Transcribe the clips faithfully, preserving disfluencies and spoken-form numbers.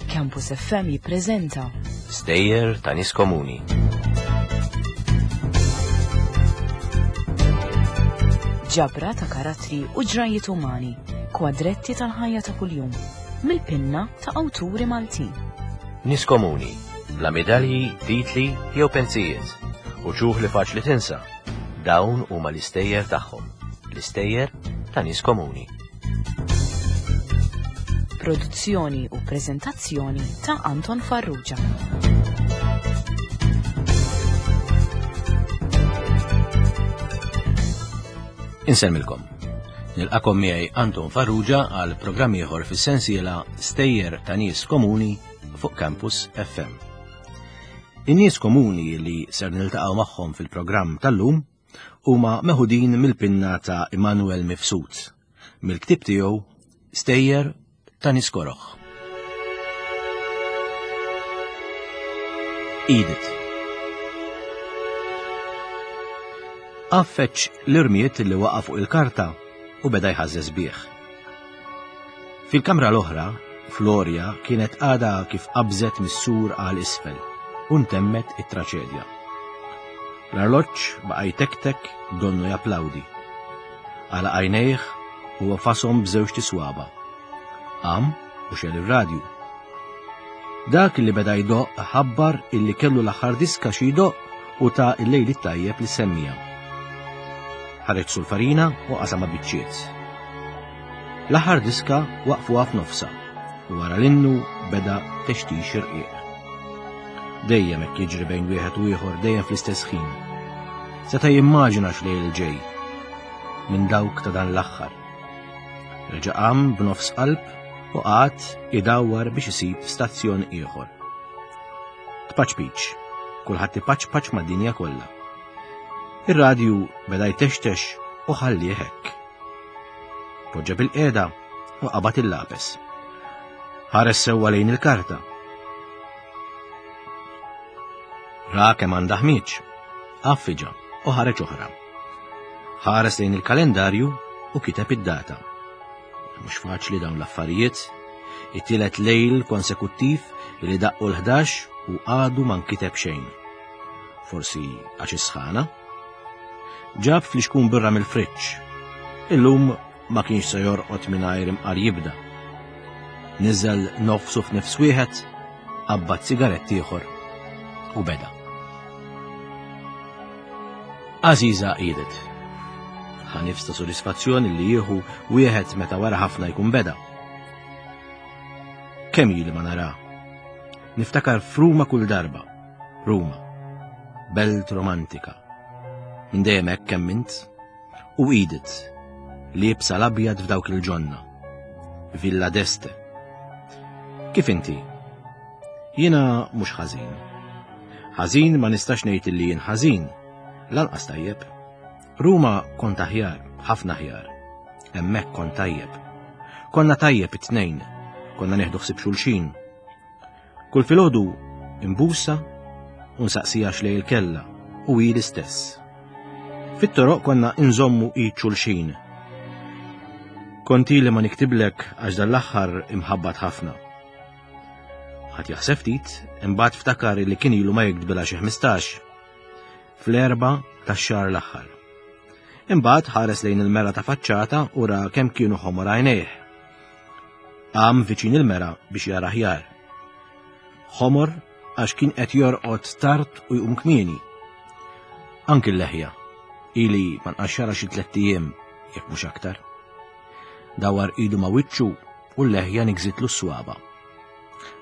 Campus F M jippreżenta Stejjer ta' nies komuni. Ġabra ta' karattri u ġrajiet umani, kwadretti tal-ħajja ta' kuljum, mill-pinna ta' awturi Maltin. Nies komuni, bla medalji, titli jew pensijiet, u ċuħ li faċli tinsa. Dawn huma l-istejjer tagħhom, l-istejjer ta' nies komuni. Produzzjoni u preżentazzjoni ta' Anton Farrugia. Insellmilkom. Nilqakom miegħi Anton Farrugia għal programm ieħor fis-sensiela Stejjer ta' Nies Komuni fuq Campus F M. In-nies komuni li ser niltaqgħu magħhom fil-programm tal-lum huma meħudin mill-pinna ta' Immanuel Mifsud, mill-ktieb tiegħu Stejjer ta' Nies Koroh. Edith. Affeċ l-irmiet li waqa' fuq il-karta u beda jħażżeż bih. Fil-kamra l-oħra, Floria kienet għadha kif qabżet mis-sur għal isfel u ntemmet it-traċedja. L-arloġġ baqa' jtektek donnu japplawdi. Għala għajnejh u fasom b'żewġ tiswaba. Qam u xel ir-radju. Dak li beda jdoqq ħabbar illi kellu l-aħħar diska xi jdoqq u ta' il-lejl it-tajjeb li semmija. Ħareġ sulfarina u qasama biċċiet. L-aħħar diska waqfuha f'nofsa u wara l-innu beda textix irqiq. Dejjem hekk jiġri bejn wieħed u ieħor, dejjem fl-istess ħin. Seta' jimmaġina x'lejl ġej minn dawk ta' dan l-aħħar. Reġa' qam b'nofs qalb u qagħad idawwar biex isib stazzjon ieħor. Tpaċpiċ, kulħadd ipaċpaċ mad-dinja kollha. Ir-radju beda jtextex u ħallih hekk. Poġġa bil-qiegħda u qabad il-lapes. Ħares sewwa lejn il-karta. Ra kemm għandha ħmieġ, għaffiġa u ħareġ oħra. Ħares lejn il-kalendarju u kiteb id-data. Mhux faċli dawn l-affarijiet. It-tielet lejl konsekuttiv li daqqu l-ħdax u għadu ma nkiteb xejn. Forsi għax is-sħana? Ġab flixkun birra mill-friġġ. Illum ma kienx se jorqod mingħajr imqar jibda. Niżel nofsu f'nifs wieħed, qabbad sigarett ieħor u beda. Għażiża Edith, ħa nifs ta' sodisfazzjoni li jieħu wieħed meta wara ħafna jkun beda. Kemm ili ma nara? Niftakar f'Ruma kull darba. Ruma, belt romantika. Minn dejjem hekk kemm int u Edith, liebsa l-abjad f'dawk il-ġonna. Villa d'Este. Kif inti? Jiena mhux ħażin. Ħażin ma nistax ngħid li jien ħażin, lanqas tajjeb. Ruma kont aħjar, ħafna aħjar. Hemmhekk kont tajjeb. Konna tajjeb it-tnejn, konna nieħdu ħsieb xulxin. Kull filgħodu imbusa u nsaqsija x'lejl kellha u hi l-istess. Fit-toroq konna inżommu id xulxin. Kont ili ma niktiblek għax dan l-aħħar imħabbat ħafna. Ħadd jaħseb ftit, imbagħad ftakar li kien ilu ma jiktbilha xi ħmistax. Fl-erba' tax-xahar l-aħħar. Imbagħad ħares lejn il-mera ta' faċċata u ra kemm kienu ħomor għajnejh. Qam viċin il-mera biex jara aħjar. Ħomor għax kien qed jorqod tard u jqum kmieni. Anki l-leħja, ili ma nqaxxarha xi tliet ijiem, jekk mhux aktar. Dawar idu ma' wiċċu u l-leħja nigżitlu s-swaba.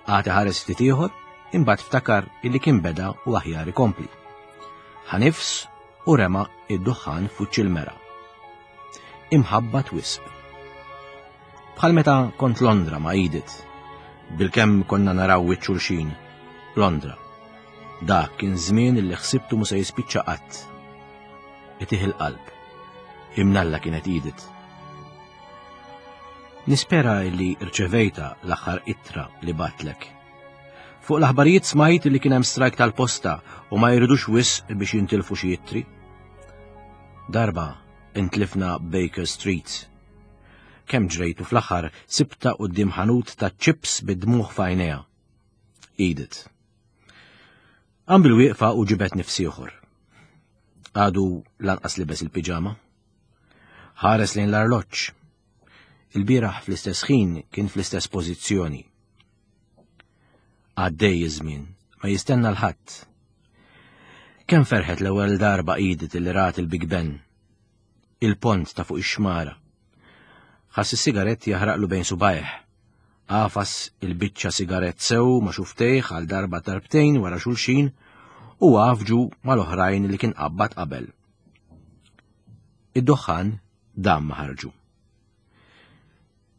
Għad iħares ftit ieħor, imbagħad ftakar illi kien beda u aħjar ikompli. Ħanifs u rema id-duħħan f'wiċċ il-mera. Imħabba twisq. Bħal meta kont Londra ma' Edith, bilkemm konna naraw wiċċ xulxin. Londra. Dak kien żmien illi ħsibtu mhux se jispiċċa qatt. Itih il-qalb. Imnalla kienet Edith. Nispera illi rċevejta l-aħħar ittra li batlek. Fuq l-aħbarijiet smajt li kien hemm strajk tal-posta u ma jridux wisq biex jintilfu xi ittri. Darba intlifna Baker Street. Kemm ġrejtu fl-aħħar sibta quddiem ħanut ta' ċips bid-dmugħ f'għajnejha. Edith. Qam bil-wieqfa u ġibed nifs ieħor. Għadu lanqas libes il-piġama. Ħares lejn l-arloġġ. Il-bieraħ fl-istess ħin kien fl-istess pożizzjoni. Għaddej iż-żmien, ma jistenna 'l ħadd. Kemm ferħet l-ewwel darba Edith li rat il-Big Ben, il-pont ta' fuq ix-xmara. Ħass is-sigarett jaħraqlu bejn subajh. Għafas il-biċċa sigarett sew ma' xufftejh għal darba darbtejn wara xulxin u għafġu mal-oħrajn li kien qabbad qabel. Id-duħħan dam ma ħarġu.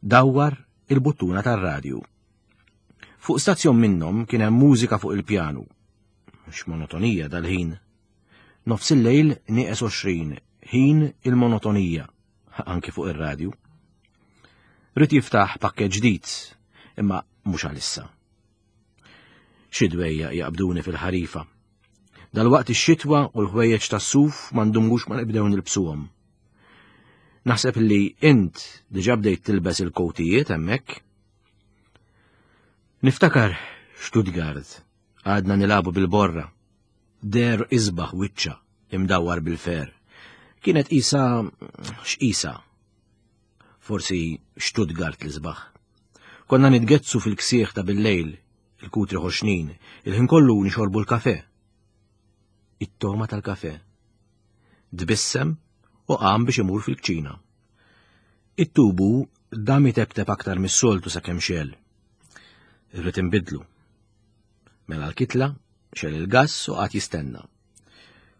Dawwar il-buttuna tar-radju. Fuq stazzjon minnhom kien hemm mużika fuq il-pjanu. X'monotonija dal-ħin. Nofs il-lejl nieqes għoxrin, ħin il-monotonija, anki fuq ir-radju. Ried jiftaħ pakket ġdid, imma mhux għalissa. Xi dwejjaq jaqbduni fil-ħarifa. Dal-waqt ix-xitwa u l-ħwejjeġ tas-suf ma ndumux ma nibdew nilbsuhom. Naħseb li int diġà bdejt tilbes il-kowtijiet hemmhekk. Niftakar Stuttgart, għadna nilagħbu bil-borra. Der isbaħ wiċċa imdawwar bil-fer. Kienet isa x'isa. Forsi Stuttgart l-isbaħ. Konna nitgezzu fil-ksieħ ta' bil-lejl, il-kutri ħoxnin, il-ħin kollu nixorbu l-kafe. It-toma tal-kafe. Tbissem u qam biex imur fil-kċina. It-tubu dam jteptep aktar mis-soltu sakemm xegħel. Irrid inbidlu. Mela l-kitla, xegħel il-gass u qagħad jistenna.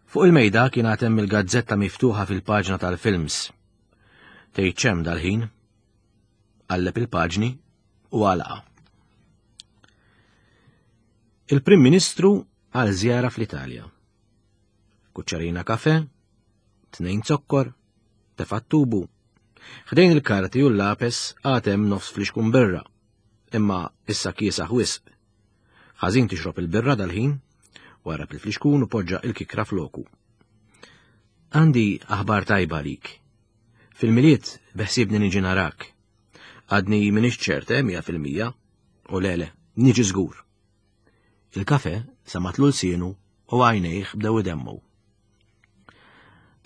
Fuq il-mejda kien għad hemm il-gazzetta miftuħa fil-paġna tal-films. Tgħid x'hemm dal-ħin? Qalleb il-paġni u għalaqa. Il-Prim Ministru għal żjara fl-Italja. Kuċċarina kafe, tnejn zokkor, tefa' tubu. Ħdejn il-karti u l-lapes għad hemm nofs flixkun birra, imma issa kiesaħ wisq. Ħażin tixrob il-birra dal-ħin, warrab il-flixkun u poġġa il-kikra floku. Għandi aħbar tajba għalik. Fil-Milied beħsiebni niġi narak. Għadni m'iniex ċert mija fil-mija, u lele, niġi żgur. Il-kafe samatlu lsienu u għajnejh bdew idemmgħu.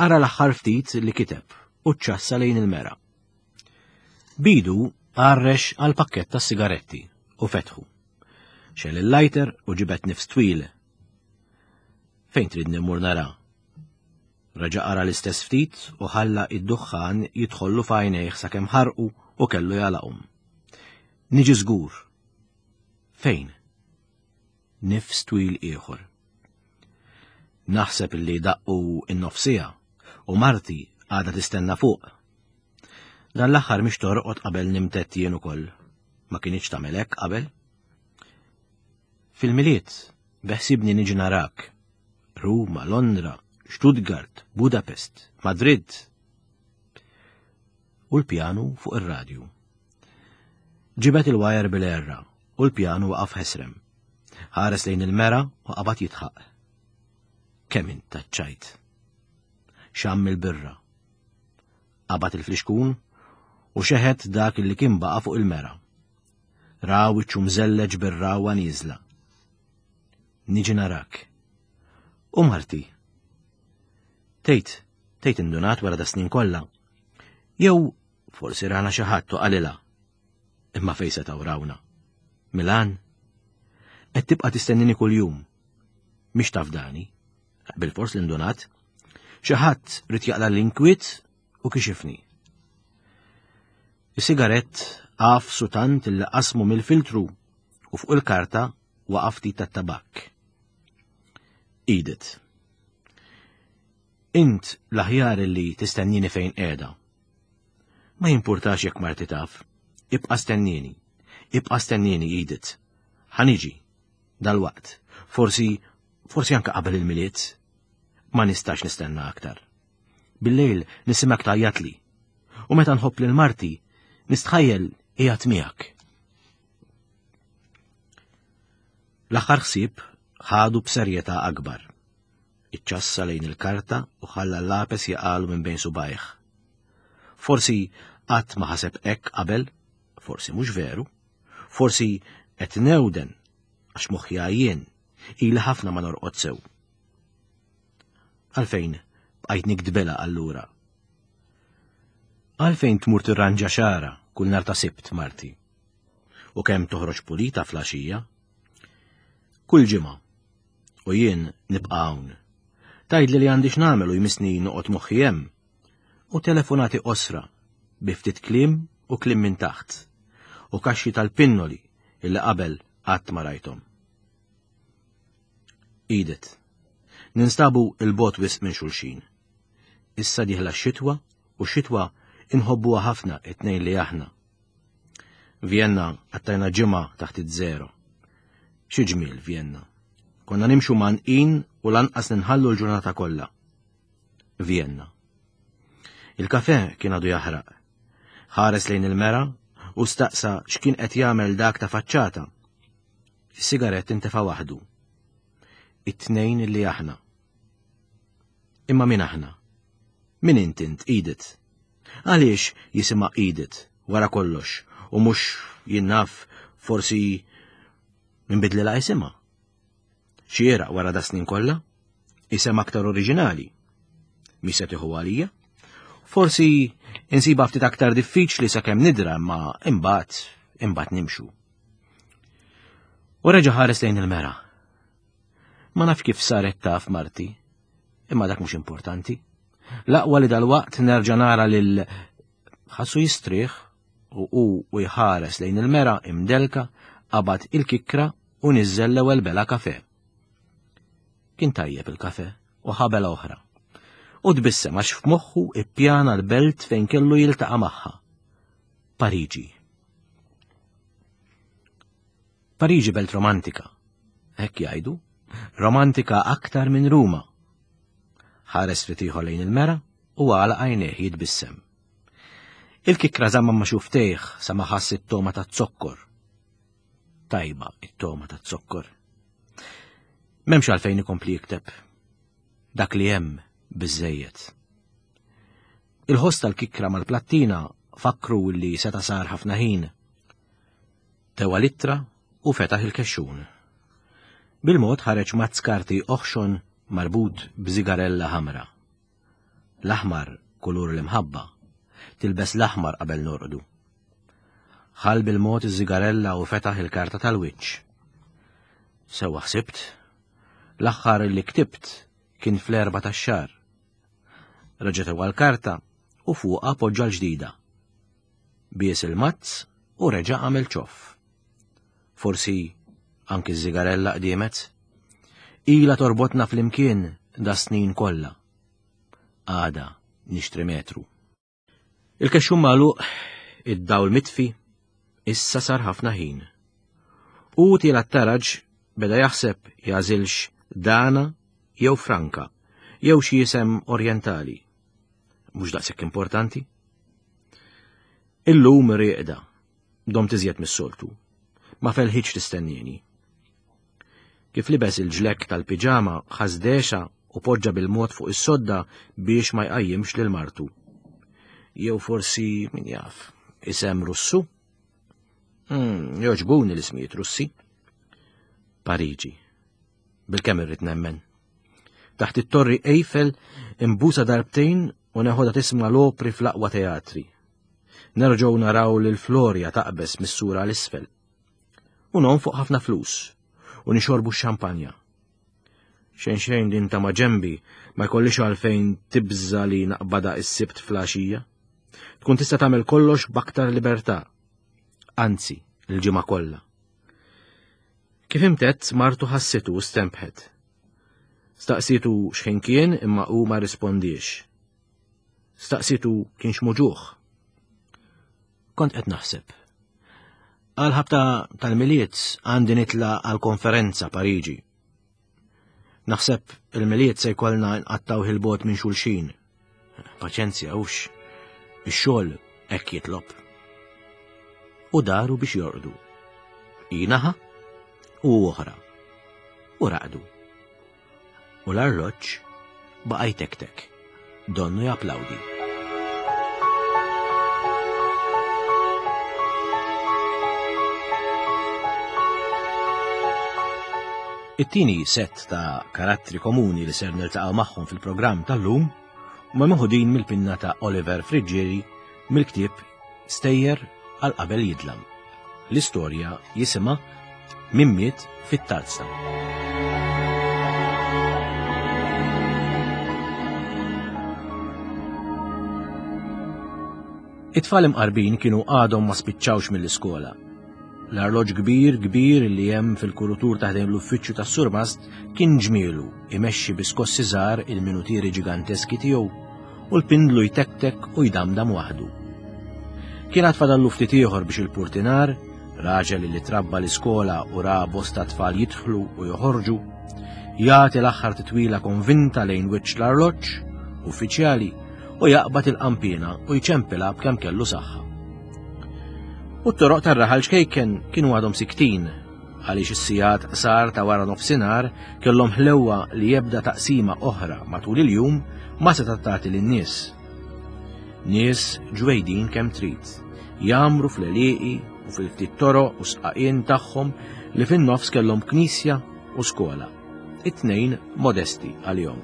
Qara l-aħħar ftit li kiteb u ċċassa lejn il-mera. Bidu għarrex għal pakket ta' sigaretti u fetħu. Xegħel il-lighter u ġibed nifs twil. Fejn tridni mmur nara? Reġa' qara l-istess ftit u ħalla id-duħħan jidħollu f'għajnejh sakemm ħarqu u kellu jagħlaqhom. Niġi żgur. Fejn? Nifs twil ieħor. Naħseb illi daqqu in-nofsija u marti għadha tistenna fuq. Dan l-aħħar mhix torqod qabel nimtett jien ukoll. Ma kinitx tagħmel hekk qabel. Fil-Milied beħsibni niġi narak. Ruma, Londra, Stuttgart, Budapest, Madrid. U l-pjanu fuq ir-radju. Ġibed il-wajer bil-erra u l-pjanu waqaf ħesrem. Ħares lejn il-mera u qabad jidħaq. Kemm int taċ-ċajt. Xamm il-birra. Qabad il-flixkun u xeħet dak li kien baqa' fuq il-mera. Ra wiċċu mżelleġ bir-rawa nieżla. Niġi narak. U marti. Tgħid, tgħid indunat wara da snin kollha. Jew forsi rana xi ħadd u qalilha. Imma fejn setgħu rawna? Milan? Qed tibqa' tistennini kuljum. Mhix tafdani. Bil-fors l-indunat. Xi ħadd ried jaqla' l-inkwiet u kixifni. Is-sigarett għafsu tant li qasmu mill-filtru u fuq il-karta waqaf ftit tat-tabakk. Edith. Int l-aħjar li tistennini fejn qiegħda. Ma jimpurtax jekk marti taf. Ibqa' stennini. Ibqa' stennini, Edith. Ħa niġi. Dal-waqt. Forsi, forsi anka qabel il-Milied. Ma nistax nistenna aktar. Bil-lejl nisimak tgħajjatli. U meta nħobb lil marti, nistħajjel qiegħed miegħek. L-aħħar ħsieb ħadu b'serjetà akbar. Iċċassa lejn il-karta u ħalla l-lapes jaqalu minn bejn subajh. Forsi Qatt ma ħaseb hekk qabel, forsi mhux veru, forsi qed newden għax moħħi għajjien, ili ħafna ma norqod sew. Għalfejn bqajt nikdbilha allura? Għalfejn tmur tirranġa xagħarha kull nhar ta' Sibt marti? U kemm toħroġ pulita fl-għaxija? Kull ġimgħa. U jien nibqa' hawn. Tgħidli li għandi x'nagħmel u jmissni noqgħod moħħi hemm. U telefonati qosra bi ftit kliem u kliem minn taħt. U kaxxi tal-pinnoli illi qabel qatt ma rajthom. Edith. Ninstabu 'l bogħod wisq minn xulxin. Issa dieħla x-xitwa u x-xitwa inħobbuha ħafna it-tnejn li aħna. Vienna qattajna ġimgħa taħt iż-żero. Xi ġmiel Vienna. Konna nimxu mgħannqin u lanqas ninħallu l-ġurnata kollha. Vienna. Il-kafe kien għadu jaħraq. Ħares lejn il-mera u staqsa x'kien qed jagħmel dak ta' faċċata. Is-sigarett intefa' waħdu. It-tnejn li aħna. Imma min aħna? Min int int, Edith? Għaliex jisimha Edith wara kollox u mhux jien naf forsi nbiddlilha isimha? Xieraq wara das-snin kollha? Isem aktar oriġinali. Mi se tieħu għalija? Forsi insiba ftit aktar diffiċli sakemm nidra imma imbagħad imbagħad nimxu. U reġa' ħares lejn il-mera. Ma naf kif saret taf marti, imma dak mhux importanti. L-aqwa li dal-waqt nerġa' nara lil ħassu jistrieħ u u u jħares lejn il-mera imdelka qabad il-kikra u niżel l-ewwel bela kafe. Kien tajjeb il-kafe u ħa bela oħra. U tbissem għax f'moħħu ippjana l-belt fejn kellu jiltaqa' magħha. Pariġi. Pariġi belt romantika. Hekk jgħidu, romantika aktar minn Ruma. Ħares ftit ieħor lejn il-mera u għalaq għajnejh jitbissem. Il-kikra żamma ma' xufftejh sa ma ħass it-togħma ta' zokkor. Tajba it-togħma ta' zokkor. M'hemmx għalfejn ikompli jikteb. Dak li hemm biżejjed. Il-ħoss tal-kikra mal-plattina fakru li seta sar ħafna ħin. Tewa l-ittra u fetaħ il-kexxun. Bil-mod ħareġ mazz karti oħxon marbut b'żigarella ħamra. L-aħmar kulur l-imħabba, tilbes l-aħmar qabel norqdu. Ħall bil-mod iż-żigarella u fetaħ il-karta tal-wiċċ. Sewwa ħsibt, l-aħħar li ktibt kien fl-erba tax-xahar. Reġa' tewa l-karta u fuqha poġġa l-ġdida. Bies il-mazz u reġa' għamel ċoff. Forsi anki ż-żigarella qdiemet. Ila torbotna flimkien das-snin kollha. Għada nixtri metru. Il-kexxun magħluq, id-dawl mitfi, issa sar ħafna ħin. U tiela' t-taraġ beda jaħseb jagħżilx Dana jew Franka, jew xi isem orjentali. Mhux daqshekk importanti. Illum rieqda, domt iżjed mis-soltu. Ma felħitx tistennieni. Kif libes il-ġlekk tal-piġama ħass dehxa u poġġa bil-mod fuq is-sodda biex ma jqajjimx lil martu. Jew forsi, min jaf, isem Russu? Hmm, jogħġbuni l-ismijiet Russi. Pariġi. Bilkemm irrid nemmen. Taħt it-torri Eiffel imbusha darbtejn u neħodha tisma' l-opri fl-aqwa teatri. Nerġgħu naraw lil Florja taqbeż mis-sura l-isfel. U nonfoq ħafna flus u nixorbu x-xampanja. Xejn xejn din ta' maġenbi ma jkollix għalfejn tibża li naqbada is-Sibt fl-għaxija. Tkun tista' tagħmel kollox b'aktar libertà. Anzi, il-ġimgħa kollha. Kif imtett martu ħassitu u stempħet. Staqsitu x'ħin kien imma hu ma rispondiex. Staqsitu kienx muġugħ. Kont qed naħseb. Għal ħabta tal-Milied għandi nitla' għal konferenza Pariġi. Naħseb il-Milied se jkollna nqattgħu 'il bogħod minn xulxin. Paċenzja hux, ix-xogħol hekk jitlob. U daru biex jorqdu. Hi naħa u oħra. U raqdu. U l-arloġġ baqa' jtektek. Donnu japplawdi. It-tieni set ta' karattri komuni li ser niltaqgħu magħhom fil-programm tal-lum huma meħudin mill-pinna ta' Oliver Friggieri mill-ktieb Stejjer għal qabel jidlam. L-istorja jisimha Min miet fit-Tarzna. It-tfal imqarbin kienu għadhom ma spiċċawx mill-iskola. L-arloġġ kbir kbir li hemm fil-kurutur ta' ħdejn l-uffiċċju tas-surmast kien ġmielu imexxi bi skossi żgħar il-minutieri ġiganteski tiegħu u l-pindlu jtektek u jdamdam waħdu. Kien għad fadallu ftit ieħor biex il-purtinar, raġel li trabba l-iskola u ra bosta tfal jidħlu u joħorġu, jagħti l-aħħar titwila konvinta lejn wiċċ l-arloġġ uffiċjali u jaqbad il-qampina u jċempilha b'kemm kellu saħħa. U t-toroq tar-raħal ċkejken kienu għadhom siktin għaliex is-sigħat qsar ta' wara nofsinhar kellhom ħlewwa li jebda taqsima oħra matul il-jum ma setgħet tagħti lin-nies. Nies ġwejdin kemm trid, jagħmru fl-għelieqi u fil-ftit toroq u sqaqien tagħhom li fin-nofs kellhom knisja u skola, it-tnejn modesti għalihom.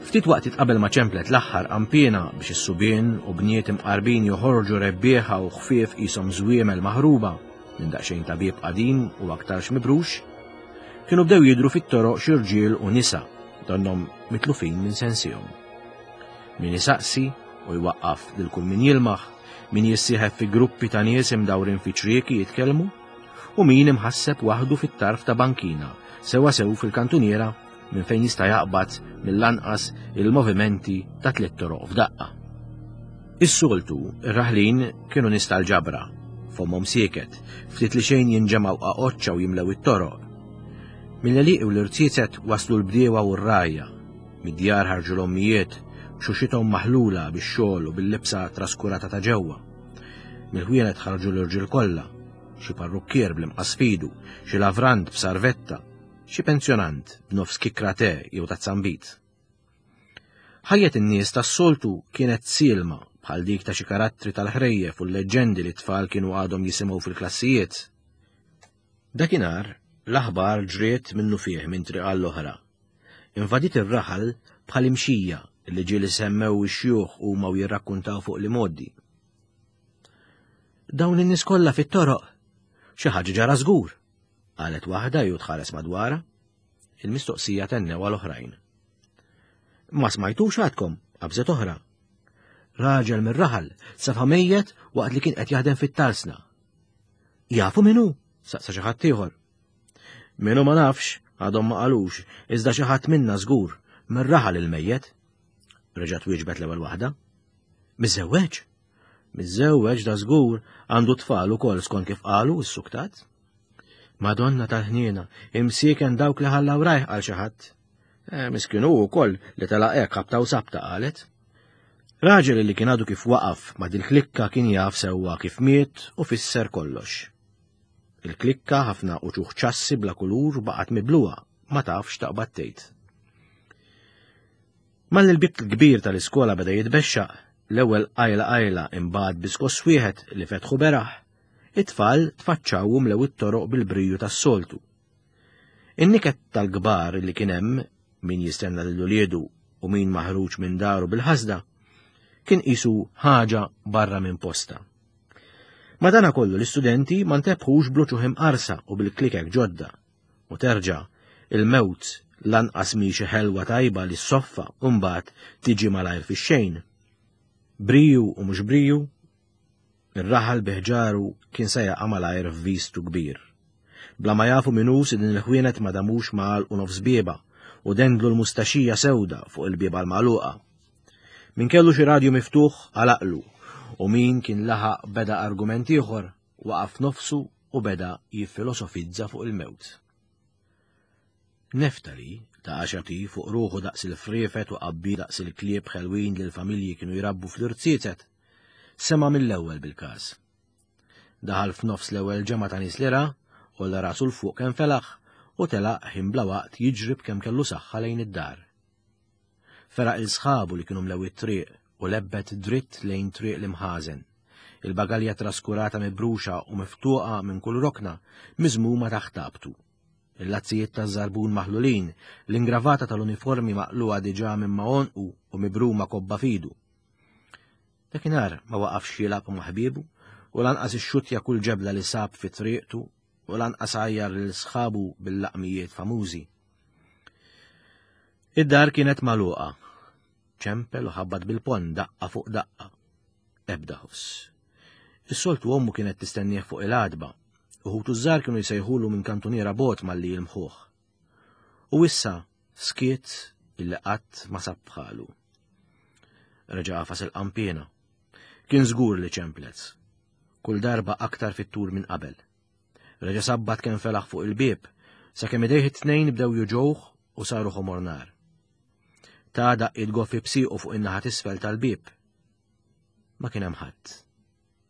Ftit waqt qabel ma ċemplet l-aħħar qampiena biex is-subien u bniet imqarbin joħorġu rebbieħa u ħfief qishom żwiemel maħruba minn daqsxejn ta' bieb qadim u aktarx mibrux, kienu bdew jidhru fit-toroq xi rġiel u nisa donnhom mitlufin minn sensihom. Min isaqsi u jwaqqaf lil kull min jilmaħ, min jissieħeb fi gruppi ta' nies imdawrin fi ċrieki jitkellmu, u min imħasseb waħdu fit-tarf ta' bankina, sewa sew fil-kantuniera minn fejn jista' jaqbad mill-anqas il-movimenti ta' tliet toroq f'daqqa. Is-soltu, ir-raħlin kienu nies tal-ġabra, fommhom sieket, ftit li xejn jinġemgħu qaqoċċa u jimlew it-toroq. Mill-għelieqi u l-irziezet waslu l-bdiewa u r-rajja, mid-djar ħarġu l-ommijiet, b'xuxithom maħlula bix-xogħol u bil-libsa traskurata ta' ġewwa. Mill-ħwienet ħarġu l-irġiel kollha, xi parrukkier bl-imqas fidu, xi lavrant b'sarvetta, xi pensjonant b'nofs kikra te jew ta' zambit. Ħajjet in-nies tas-soltu kienet silma bħal dik ta' xi karattri tal-ħrejjef u l-leġġendi li t-tfal kienu għadhom jisimgħu fil-klassijiet. Dakinhar l-aħbar ġriet minnu fih minn triq għall-oħra. Invadiet ir-raħal bħal imxija li ġieli semmew ix-xjuħ huma u jirrakkuntaw fuq li modi. Dawn in-nies kollha fit-toroq, xi ħaġa ġara żgur, qalet waħda jew tħares madwarha. Il-mistoqsija tennew għal oħrajn. Ma smajtux għadkom, qabżet oħra. Raġel mir-raħal safa mejjet waqt li kien qed jaħdem fit-tarsna. Jafu min hu? Saqsa xi ħadd ieħor. Min hu ma nafx, għadhom ma qalux, iżda xi ħadd minna żgur, mir-raħal il-mejjet. Reġgħet wieġbet l-ewwel waħda. Miżżewweġ? Miżżewweġ da żgur, għandu tfal ukoll skont kif qalu s-suktat. Madonna tal-ħniena, imsieken dawk li ħallaw rajh għal xi ħadd. Eh, miskin hu wkoll li telaq hekk ħabta u sabta qalet. Raġel li kien għadu kif waqaf ma' dil-klikka kien jaf sewwa kif miet u fisser kollox. Il-klikka ħafna uċuħ ċassi bla kulur baqgħet mibluha, ma tafx taqbad tgħid. Malli l-bieb il-kbir tal-iskola beda jitbexxaq, l-ewwel qajla qajla imbagħad bi skoss wieħed li fetħu beraħ, it-tfal tfaċċaw u mlew it-toroq bil-briju tas-soltu. In-niket tal-kbar li kien hemm, min jistenna lil uliedu u min maħruġ minn daru bil-ħasda, kien qisu ħaġa barra minn posta. Madanakollu l-istudenti ma ntebħux bl-uċuħ imqarsa u bil-klikek ġodda, u terġa' il-mewt lanqas mi xi ħelwa tajba li s-soffa u mbagħad tiġi malajr fix-xejn. Briju u mhux briju, ir-raħal biħġaru kien se jaqa' malajr f'vistu kbir. Bla ma jafu min hu sidin il-ħwienet ma damux ma għalqu nofs bieba u dendlu l-mustaxija sewda fuq il-bieba l-magħluqa. Min kellu xi radju miftuħ għalaqlu u min kien laħaq beda argument ieħor waqaf nofsu u beda jiffilosofizza fuq il-mewt. Neftali ta' għaxati fuq ruħu daqs il-friefet u qabbi daqs il-klieb ħelwin li l-familji kienu jrabbu fl-irziezet, sema mill-ewwel bil-każ. Daħal f'nofs l-ewwel ġemgħa ta' nies li ra, għolla rasu 'l fuq kemm felaħ u telaq ħin bla waqt jiġri b'kemm kellu saħħa lejn id-dar. Feraq il-sħabu li kienu mlew it-triq u lebbet dritt lejn triq l-imħażen. Il-bagalja traskurata mibruxa u miftuqa minn kull rokna miżmuma taħt tabtu. Il-lazzijiet taż-żarbun maħlulin, l-ingravata tal-uniformi maqlugħa diġà minn ma' għonqu u mibruma kobba f'idu. Dakinhar ma waqafx jilgħab ma' ħbiebu u lanqas ixxuttja kull ġebla li sab fi triqtu u lanqas għajjar lil sħabu bil-laqmijiet famużi. Id-dar kienet magħluqa. Ċempel u ħabbat bil-ponn daqqa fuq daqqa. Ebda ħoss. Is-soltu ommu kienet tistennieh fuq il-għatba, u ħutu ż-żgħar kienu jsejħulu minn kantuniera bogħod malli jilmħuh. U issa skiet illi qatt ma sab bħalu. Reġa' għafas il-qanpiena. Kien żgur li ċemplet. Kull darba aktar fit-tul minn qabel. Reġa' sabbat kemm felaħ fuq il-bieb, sakemm idejh it-tnejn bdew juġgħuh u saru ħomor nar. Ta daqqiet goffi b'siequ fuq in-naħa t'isfel tal-bieb. Ma kien hemm ħadd.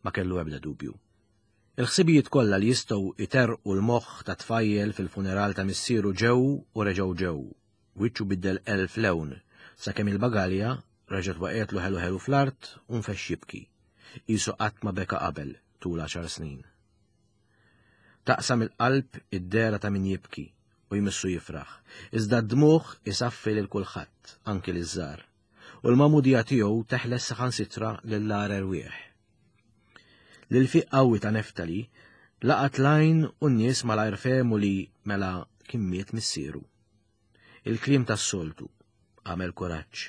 Ma kellu ebda dubju. Il-ħsibijiet kollha li jistgħu iterrqu l-moħħ ta' tfajjel fil-funeral ta' missieru ġew u reġgħu ġew. Wiċċu biddel elf lewn, sakemm il-bagalja reġgħet waqgħetlu ħelu ħelu fl-art u nfexx jibki. Qisu qatt ma beka qabel tul għaxar snin. Taqsam il-qalb id-dehra ta' min jibki u jmissu jifraħ, iżda d-dmugħ isaffi lil kulħadd, anki liż-żgħar, u l-magħmudija tiegħu teħles saħansitra lill-agħar erwieħ. L-ilfiq qawwi ta' Neftali laqat l-għajn u n-nies malajr fehmu li mela kien miet missieru. Il-kliem tas-soltu għamel kuraġġ,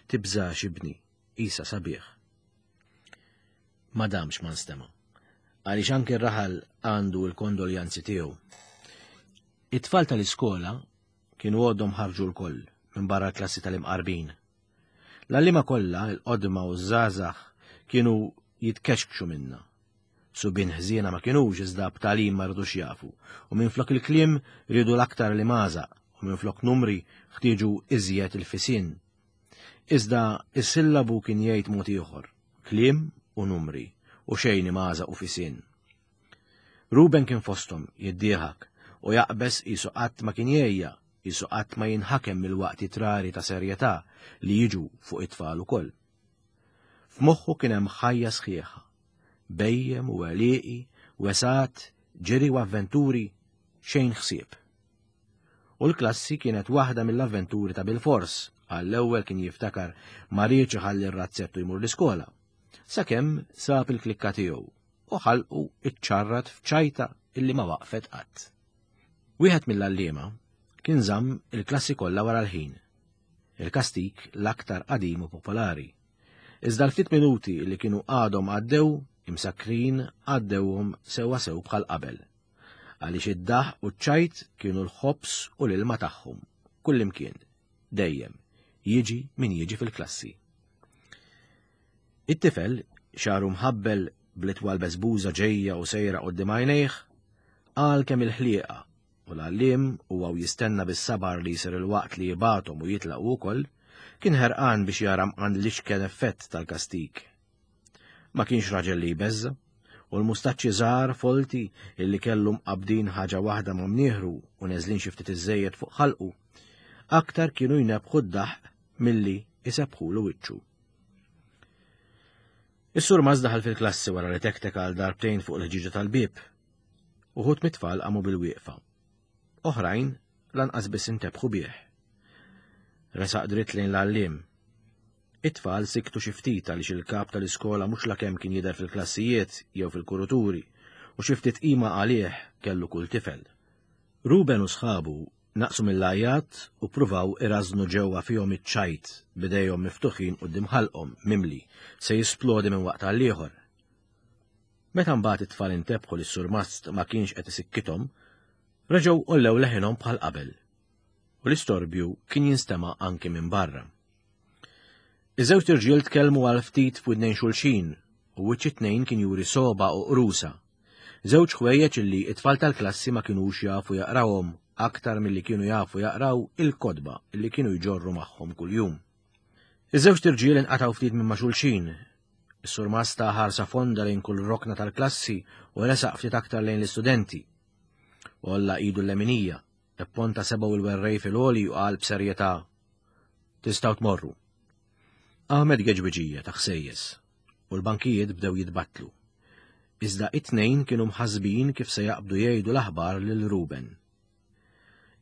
tibżax ibni, isa sabiħ. Ma damx ma nstema', għaliex anki r-raħal għandu l-kondoljanzi tiegħu. It-tfal tal-iskola kienu għoddhom ħarġu lkoll minn barra l-klassi tal-imqarbin. L-għalliema kollha, il-qodma u ż-żgħażagħ, kienu jitkexkxu minna. Subien ħżiena ma kinux iżda b'tagħlim ma ridux jafu, u minflok il-kliem riedu l-aktar li magħżaq, u minflok numri ħtieġu iżjed il-fisien. Iżda is-sillabu kien jgħid mod ieħor, kliem u numri, u xejn imgħażaq u fisien. Ruben kien fosthom jiddieħak u jaqbeż qisu qatt ma kien jgħejja, qisu qatt ma jinħakem mill-waqtiet rari ta' serjetà li jiġu fuq it-tfal ukoll. F'moħħu kien hemm ħajja sħiħa, bejjem u għelieqi, wesat, ġiri u avventuri, xejn ħsieb. U l-klassi kienet waħda mill-avventuri ta' bilfors, għall-ewwel kien jiftakar ma riedx iħalli r-razzett u jmur l-iskola. Sakemm sab il-klikka tiegħu u ħalqu iċċarrat f'ċajta illi ma waqfet qatt. Wieħed mill-għalliema kien żamm il-klassi kollha wara l-ħin. Il-kastik l-aktar qadim u popolari. Iżda l-ftit minuti li kienu għadhom għaddew, imsakrin għaddewhom sewwa sew bħal qabel. Għaliex id-daħq u ċ-ċajt kienu l-ħobż u l-ilma tagħhom, kullimkien, dejjem, jiġi min jiġi fil-klassi. It-tifel, xagħru mħabbel bl-itwal beżbuża ġejja u sejra quddiem għajnejh, qal kemm il-ħlieqa u l-għalliem huwa u jistenna bis-sabar li jsir il-waqt li jibgħathom u jitlaq ukoll, kien ħerqan biex jara mqan l-iċken effett tal-kastik. Ma kienx raġel li jbeżża, u l-mustaċċi żgħar folti illi kellu mqabbdin ħaġa waħda ma' mnieħru u neżlin xi ftit iżżejjed fuq ħalqu, aktar kienu jnebbħu d-daħq milli isebbħulu wiċċu. Is-sur Mas daħal fil-klassi wara li tektek għal darbtejn fuq il-ħġieġa tal-bieb. Uħud mit-tfal qamu bil-wieqfa. Oħrajn lanqas biss intebħu bih. Resaq dritt lejn l-għalliem. It-tfal siktu xi ftit għaliex il-kap tal-iskola mhux lakemm kien jidher fil-klassijiet jew fil-kuruturi u xi ftit qima għalih kellu kull tifel. Ruben u sħabu naqsu mill-għajat u pruvaw irażnu ġewwa fihom iċ-ċajt b'idejhom miftuħin quddiem ħalqhom mimli se jisplodi minn waqt għal ieħor. Meta mbagħad it-tfal intebħu li s-surmast ma kienx qed isikkithom, reġgħu għollew leħinhom bħal qabel. U l-istorbju kien jinstema' anki minn barra. Iż-żewġ irġiel tkellmu għal ftit f'widnejn xulxin u wiċċ it-tnejn kien juri soba u qrusa. Żewġ ħwejjeġ illi t-tfal tal-klassi ma kinux jafu jaqrawhom aktar milli kienu jafu jaqraw il-kotba illi kienu jġorru magħhom kuljum. Iż-żewġ irġiel inqatgħu ftit minn ma' xulxin. Is-surmast ta ħarsa fonda lejn kull rokna tal-klassi u resaq ftit aktar lejn l-istudenti. Għolla idu l-leminija, ipponta sebgħu l-werrej fil-għoli u qal b'serjetà: Tistgħu tmorru. Qamet geġbiġija ta' ħsejjes u l-bankijiet bdew jitbattlu. Iżda it-tnejn kienu mħassbin kif se jaqbdu jgħidu l-aħbar lil Ruben.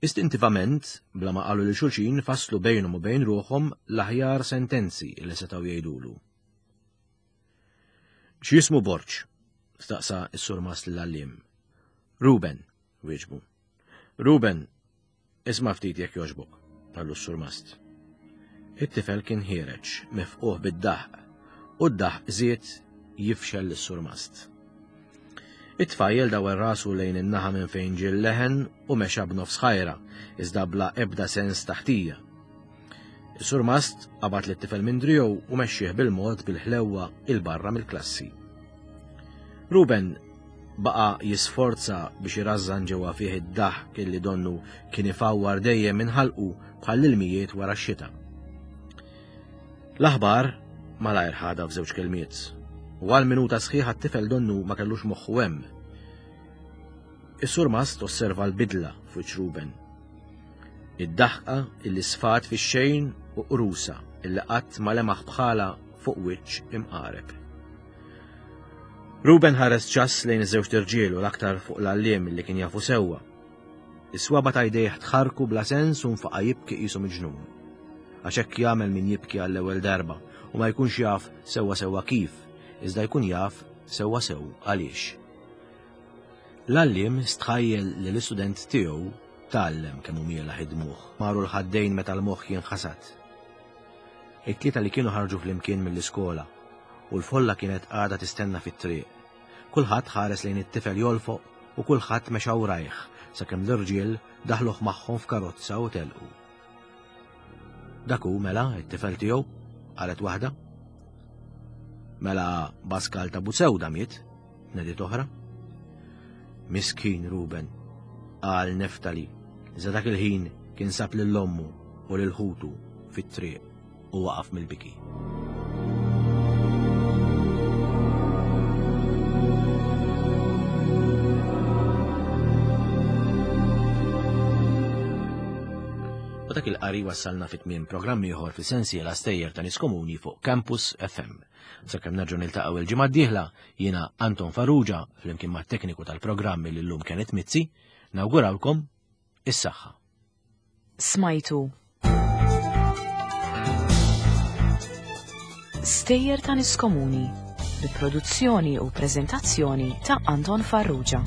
Istintivament, bla ma qalu lil xulxin, fasslu bejnhom u bejn ruħhom l-aħjar sentenzi li setgħu jgħidulu. X'jismu Borġ? Staqsa s-surmast lill-għalliem. Ruben, wieġbu. Ruben, isma' ftit jekk jogħġbok, qallu s-surmast. It-tifel kien ħiereġ, mifquh bid-daħq, u d-daħq żied jifxel lis-surmast. It-tfajjel dawwar rasu lejn in-naħa minn fejn ġie l-leħen u mexa b'nofs ħajra, iżda bla ebda sens ta' ħtija. Is-surmast qabad lit-tifel minn driegħu u mexxih bil-mod bil-ħlewwa 'il barra mill-klassi. Ruben baqa' jisforza biex irażżan ġewwa fih id-daħk illi donnu kien ifawwar dejjem minn ħalqu bħall-ilmijiet wara x-xita. L-aħbar malajr ħadha f'żewġ kelmiet, u għal minuta sħiħa t-tifel donnu ma kellux moħħu hemm. Is-surmast osserva l-bidla f'wiċċ Ruben. Id-daħqa illi sfat fix-xejn u qrusa illi qatt ma lemaħ bħala fuq wiċċ imqareb. Ruben ħares ċass lejn iż-żewġt irġiel u l-aktar fuq l-għalliem li kien jafu sewwa. Is-swaba ta' jdejh tħarku bla sens u nfaqa' jibki qisu miġnun. Għax hekk jagħmel min jibki għall-ewwel darba u ma jkunx jaf sewwa sewwa kif, iżda jkun jaf sewwa sew għaliex. L-għalliem stħajjel li l-istudent tiegħu tgħallem kemm hu mielaħ id-dmugħ, maru l-ħaddejn meta l-moħħ jinħasad. It-tlieta li kienu ħarġu flimkien mill-iskola u l-folla kienet għadha tistenna fit-triq. Kulħadd ħares lejn it-tifel jolfoq u kulħadd mexa warajh sakemm l-irġiel daħluh magħhom f'karozza u telqu. Dak hu mela it-tifel tiegħu, qalet waħda. Mela Baskal ta' Busewda miet, nediet oħra. Miskin Ruben, qal Neftali, iżda dak il-ħin kien sab lil ommu u lil ħutu fit-triq u waqaf mill-biki. U dak il-qari wassalna fit tmiem programm ieħor fi sensiela stejjer ta' nies komuni fuq Campus F M. Sakemm nerġgħu niltaqgħu il-ġimgħa d-dieħla, jiena Anton Farrugia flimkien mat-tekniku tal-programm li llum Kenneth Mizzi, nawgurawlkom is-saħħa. Smajtu Stejjer ta' nies komuni bi produzzjoni u preżentazzjoni ta' Anton Farrugia.